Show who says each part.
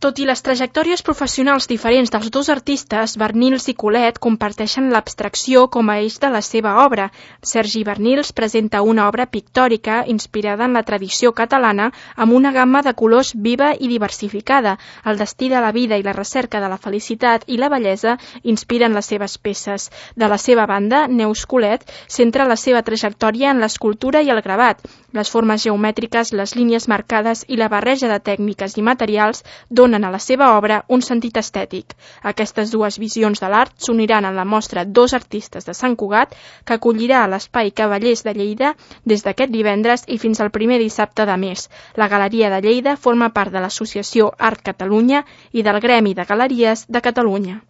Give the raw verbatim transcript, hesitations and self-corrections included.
Speaker 1: Tot i les trajectòries professionals diferents dels dos artistes, Bernils i Colet comparteixen l'abstracció com a eix de la seva obra. Sergi Bernils presenta una obra pictòrica inspirada en la tradició catalana amb una gamma de colors viva i diversificada. El destí de la vida i la recerca de la felicitat i la bellesa inspiren les seves peces. De la seva banda, Neus Colet centra la seva trajectòria en l'escultura i el gravat. Les formes geomètriques, les línies marcades i la barreja de tècniques i materials donen a la seva obra un sentit estètic. Aquestes dues visions de l'art s'uniran en la mostra Dos artistes de Sant Cugat, que acollirà a l'Espai Cavallers de Lleida des d'aquest divendres i fins al primer dissabte de mes. La Galeria de Lleida forma part de l'Associació Art Catalunya i del Gremi de Galeries de Catalunya.